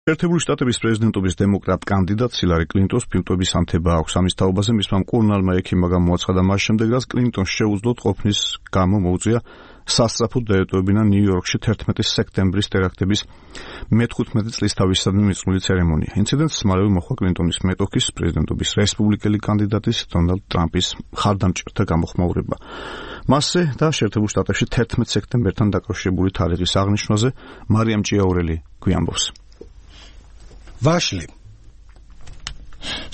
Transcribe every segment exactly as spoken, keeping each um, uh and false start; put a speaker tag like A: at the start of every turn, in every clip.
A: შეერთებული შტატების პრეზიდენტობის დემოკრატ კანდიდატ ჰილარი კლინტონს ფილტვების ანთება აქვს ამის თაობაზე მისმა მკურნალმა ექიმმა გამოაცხადა მას შემდეგ, რაც კლინტონს შეუძლოდ ყოფნის გამო მოუწია სასწრაფოდ დაეტოვებინა ნიუ-იორკში თერთმეტი სექტემბრის ტერაქტების მეთხუთმეტი წლის თავისადმი მიწყვლილი ცერემონია. ინციდენტს მალევე მოჰყვა კლინტონის მეტოქის პრეზიდენტობის რესპუბლიკელი კანდიდატის დონალდ ტრამპის მხარდამჭერთა გამოხმაურება. მასზე და შეერთებულ შტატებში თერთმეტ სექტემბერთან დაკავშირებული თარიღის აღნიშვნაზე მარიამ ჭიაურელი გვიამბობს.
B: ვაშლი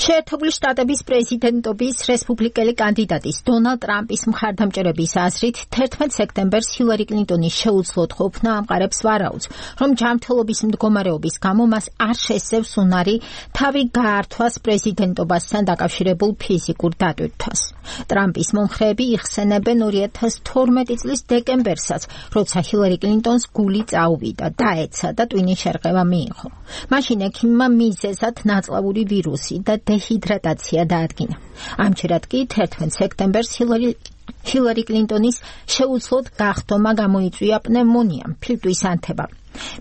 C: შეერთებული შტატების პრეზიდენტობის რესპუბლიკელი კანდიდატის დონალდ ტრამპის მხარდამჭერების აზრით თერთმეტ სექტემბერს ჰილარი კლინტონის შეუძლოდ ყოფნა ამყარებს ვარაუდს, რომ ჯანმრთელობის მდგომარეობის გამო მას არ შესწევს უნარი თავი გაართვას პრეზიდენტობასთან დაკავშირებულ ფიზიკურ დატვირთვას. ტრამპის მომხრეები იხსენებენ ორი ათას თორმეტი წლის დეკემბერსაც, როცა ჰილარი კლინტონს გული წაუვიდა, დაეცა და ტვინის შერყევა მიიღო. მაშინ ექიმმა მიზეზად ნაწლავური ვირუსი და დეჰიდრატაცია დაადგინა. ამჯერად კი თერთმეტ სექტემბერს ჰილარი ჰილარი კლინტონის შეუძლოდ გახდომა გამოიწვია პნევმონიამ, ფილტვის ანთება.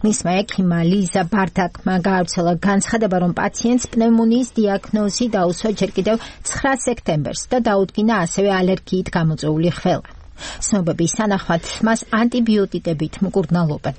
C: მისმა ექიმმა ლიზა ბარდაკმა გაავრცელა განცხადება, რომ პაციენტს პნევმონიის დიაგნოზი დაუსვა ჯერ კიდევ ცხრა სექტემბერს და დაუდგინა ასევე ალერგიით გამოწვეული ხველა. ცნობების თანახმად მას ანტიბიოტიკებით მკურნალობენ.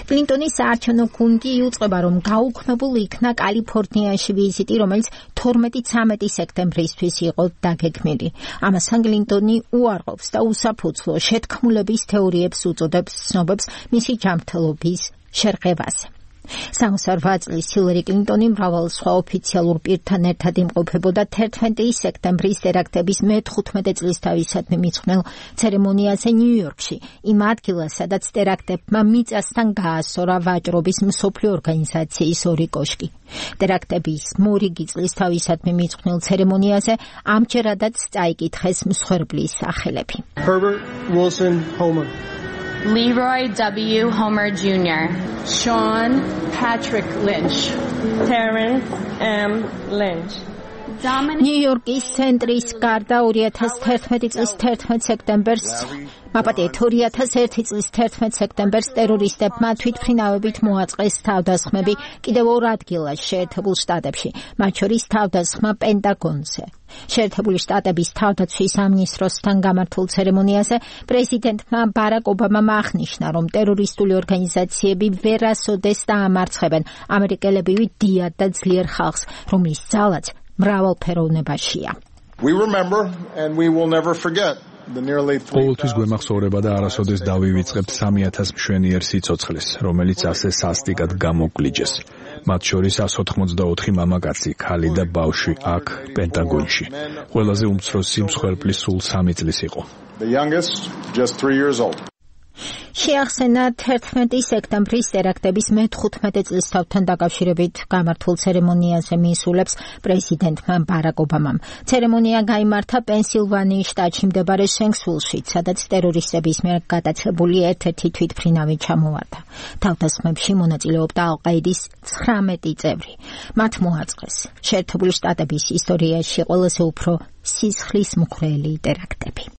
C: კლინტონის საარჩევნო გუნდი იუწყება, რომ გაუქმებულ იქნა კალიფორნიაში ვიზიტი, რომელიც თორმეტი ცამეტი სექტემბრისთვის იყო დაგეგმილი. ამასთან კლინტონი უარყოფს და უსაფუძვლო შეთქმულების თეორიებს უწოდებს ცნობებს მისი ჯანმრთელობის შერყევაზე. სამოცდაოთხ წლის ჰილარი კლინტონი მრავალ სხვა ოფიციალურ პირთან ერთად იმყოფებოდა თერთმეტი სექტემბრის ტერაქტების მეთხუთმეტი წლის თავისადმი მიწყვნილ ცერემონიაზე ნიუ-იორკში, იმ ადგილას, სადაც ტერაქტებმა მიწასთან გაასწორა ვაჭრობის მსოფლიო ორგანიზაციის ორი კოშკი. ტერაქტების მორიგი წლის თავისადმი მიწყვნილ ცერემონიაზე ამჯერადაც წაიკითხეს მსხვერპლის სახელები.
D: Herbert Wilson Homer,
E: Leroy W. Homer Junior,
F: Sean Patrick Lynch,
G: Terrence M. Lynch.
C: ნიუ-იორკის ცენტრის გარდა ორი ათას თერთმეტი წლის თერთმეტ სექტემბერს მაპატიეთ ორი ათას ერთი წლის თერთმეტ სექტემბერს ტერორისტებმა თვითმფრინავებით მოაწყეს თავდასხმები კიდევ ორ ადგილას შეერთებულ შტატებში, მათ შორის თავდასხმა პენტაგონზე. შეერთებული შტატების თავდაცვის სამინისტროსთან გამართულ ცერემონიაზე პრეზიდენტმა ბარაკ ობამამ აღნიშნა, რომ ტერორისტული ორგანიზაციები ვერასოდეს დაამარცხებენ ამერიკელებივი დიად და ძლიერ ხალხს, რომლის ძალაც მრავალფეროვნებაშია.
D: We remember and we will never forget.
B: ყოველთვის გვემახსოვრება და არასოდეს დავივიწყებთ სამი ათას მშვენიერ სიცოცხლეს, რომელიც ასე სასტიკად გამოგლიჯეს. მათ შორის εκατს ოთხმოცდაოთხი მამაკაცი, ქალი და ბავშვი აქ პენტაგონში. ყველაზე უმცროსი მსხვერპლი სულ სამი წლის იყო.
D: The youngest just three years old.
C: შეახსენა თერთმეტი სექტემბრის ტერაქტების მეთხუთმეტი წლის თავთან დაკავშირებით გამართულ ცერემონიაზე მიისულებს პრეზიდენტმა ბარაკ ობამამ. ცერემონია გაიმართა პენსილვანიის შტატში მდებარე შენქსვილში, სადაც ტერორისტების მიერ გადაცლებული ერთ-ერთი თვითმფრინავი ჩამოვარდა. თავდასხმებში მონაწილეობდა ალ-ყაიდის ცხრამეტი წევრი. მათ მოაწყეს შეერთებული შტატების ისტორიაში ყველაზე უფრო სისხლისმღვრელი ტერაქტები.